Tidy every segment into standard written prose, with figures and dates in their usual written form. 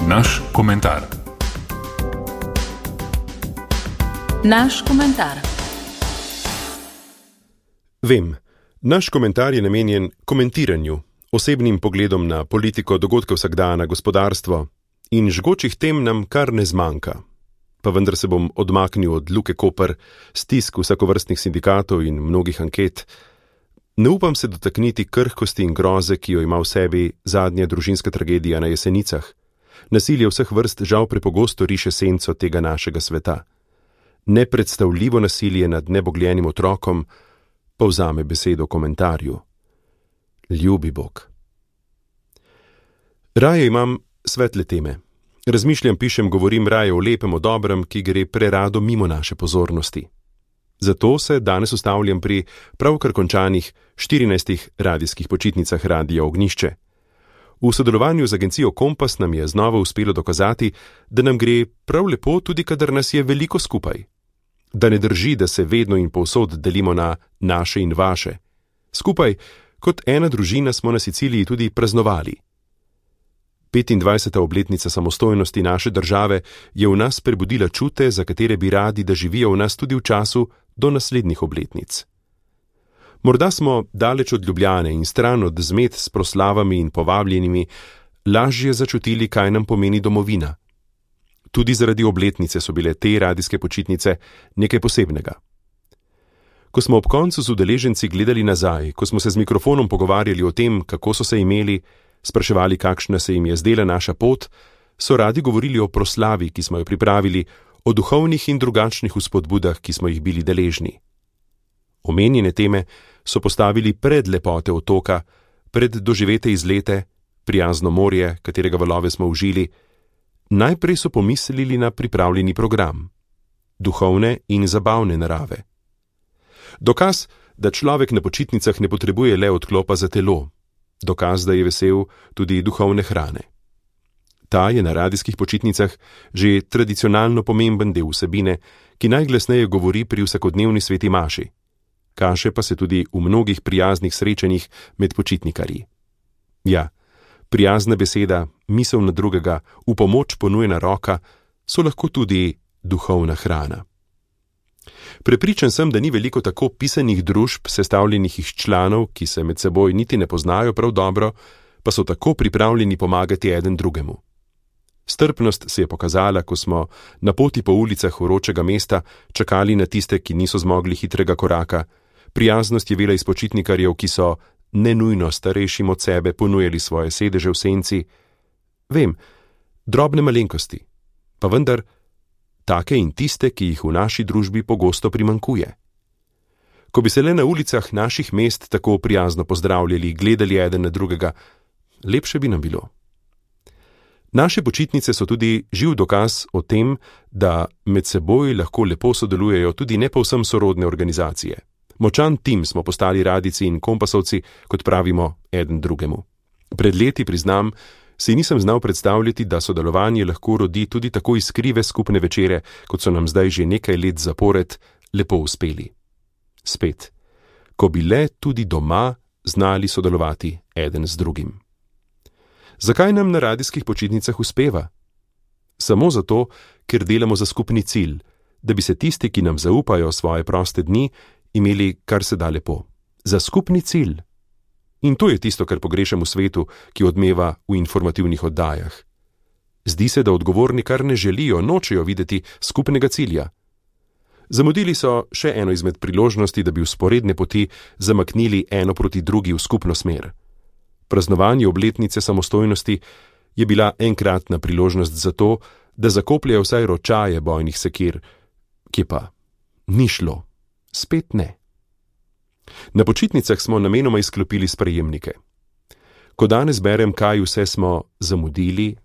Naš komentar. Naš komentar. Vem, naš komentar je namenjen komentiranju, osebnim pogledom na politiko, dogodke vsakdana, gospodarstvo in žgočih tem nam kar ne zmanjka. Pa vendar se bom odmaknil od Luke Koper, stisk vsakovrstnih sindikatov in mnogih anket. Ne upam se dotakniti krhkosti in groze, ki jo ima v sebi zadnja družinska tragedija na Jesenicah. Nasilje vseh vrst žal prepogosto riše senco tega našega sveta. Nepredstavljivo nasilje nad nebogljenim otrokom pa vzame besedo v komentarju. Ljubi Bog. Raje imam svetle teme. Razmišljam, pišem, govorim raje o lepem, o dobrem, ki gre prerado mimo naše pozornosti. Zato se danes ustavljam pri pravkar končanih 14 radijskih počitnicah Radia Ognjišče. V sodelovanju z agencijo Kompas nam je znova uspelo dokazati, da nam gre prav lepo tudi, kadar nas je veliko skupaj. Da ne drži, da se vedno in povsod delimo na naše in vaše. Skupaj, kot ena družina, smo na Siciliji tudi praznovali. 25. obletnica samostojnosti naše države je v nas prebudila čute, za katere bi radi, da živijo v nas tudi v času do naslednjih obletnic. Morda smo daleč od Ljubljane in stran od zmed s proslavami in povabljenimi lažje začutili, kaj nam pomeni domovina. Tudi zaradi obletnice so bile te radijske počitnice nekaj posebnega. Ko smo ob koncu z udeleženci gledali nazaj, ko smo se z mikrofonom pogovarjali o tem, kako so se imeli, spraševali, kakšna se jim je zdela naša pot, so radi govorili o proslavi, ki smo jo pripravili, o duhovnih in drugačnih vzpodbudah, ki smo jih bili deležni. Omenjene teme so postavili pred lepote otoka, pred doživete izlete, prijazno morje, katerega valove smo užili. Najprej so pomislili na pripravljeni program, duhovne in zabavne narave. Dokaz, da človek na počitnicah ne potrebuje le odklopa za telo, dokaz, da je vesel tudi duhovne hrane. Ta je na radijskih počitnicah že tradicionalno pomemben del vsebine, ki najglasneje govori pri vsakodnevni sveti maši. Kaže pa se tudi v mnogih prijaznih srečanjih med počitnikarji. Ja, prijazna beseda, misel na drugega, v pomoč ponujena roka so lahko tudi duhovna hrana. Prepričan sem, da ni veliko tako pisanih družb, sestavljenih iz članov, ki se med seboj niti ne poznajo prav dobro, pa so tako pripravljeni pomagati eden drugemu. Strpnost se je pokazala, ko smo na poti po ulicah vročega mesta čakali na tiste, ki niso zmogli hitrega koraka. Prijaznost je vela iz počitnikarjev, ki so nenujno starejšim od sebe ponujali svoje sedeže v senci. Vem, drobne malenkosti, pa vendar take in tiste, ki jih v naši družbi pogosto primanjkuje. Ko bi se le na ulicah naših mest tako prijazno pozdravljali, gledali eden na drugega, lepše bi nam bilo. Naše počitnice so tudi živ dokaz o tem, da med seboj lahko lepo sodelujejo tudi ne povsem sorodne organizacije. Močan tim smo postali radijci in kompasovci, kot pravimo, eden drugemu. Pred leti, priznam, si nisem znal predstavljati, da sodelovanje lahko rodi tudi tako iskrive skupne večere, kot so nam zdaj že nekaj let zapored lepo uspeli. Spet, ko bi le tudi doma znali sodelovati eden z drugim. Zakaj nam na radijskih počitnicah uspeva? Samo zato, ker delamo za skupni cilj, da bi se tisti, ki nam zaupajo svoje proste dni, imeli kar se da lepo. Za skupni cilj. In to je tisto, kar pogrešam v svetu, ki odmeva v informativnih oddajah. Zdi se, da odgovorni kar ne želijo, nočejo videti skupnega cilja. Zamudili so še eno izmed priložnosti, da bi vzporedne poti zamaknili eno proti drugi v skupno smer. Praznovanje obletnice samostojnosti je bila enkratna priložnost za to, da zakopljejo vsaj ročaje bojnih sekir, ki pa ni šlo. Spet ne. Na počitnicah smo namenoma izklopili sprejemnike. Ko danes berem, kaj vse smo zamudili,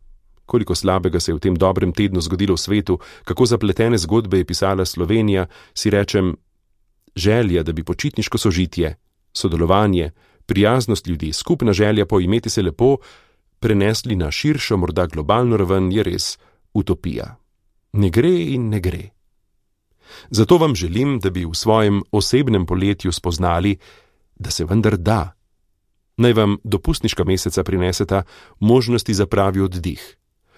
koliko slabega se je v tem dobrem tednu zgodilo v svetu, kako zapletene zgodbe je pisala Slovenija, si rečem, želja, da bi počitniško sožitje, sodelovanje, prijaznost ljudi, skupna želja po imeti se lepo, prenesli na širšo, morda globalno raven, je res utopija. Ne gre in ne gre. Zato vam želim, da bi v svojem osebnem poletju spoznali, da se vendar da. Naj vam dopustniška meseca prineseta možnosti za pravi oddih.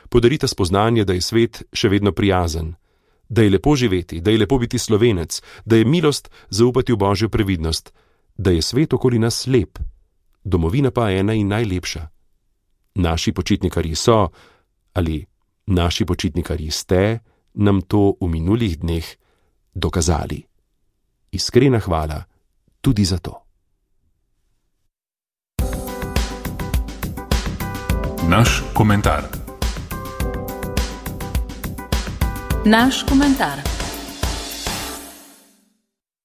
podarita spoznanje, da je svet še vedno prijazen, da je lepo živeti, da je lepo biti Slovenec, da je milost zaupati v Božjo previdnost, da je svet okoli nas lep, domovina pa ena in najlepša. Naši počitnikarji so, ali naši počitnikarji ste, nam to v minulih dneh dokazali. Iskrena hvala tudi za to. Naš komentar. Naš komentar.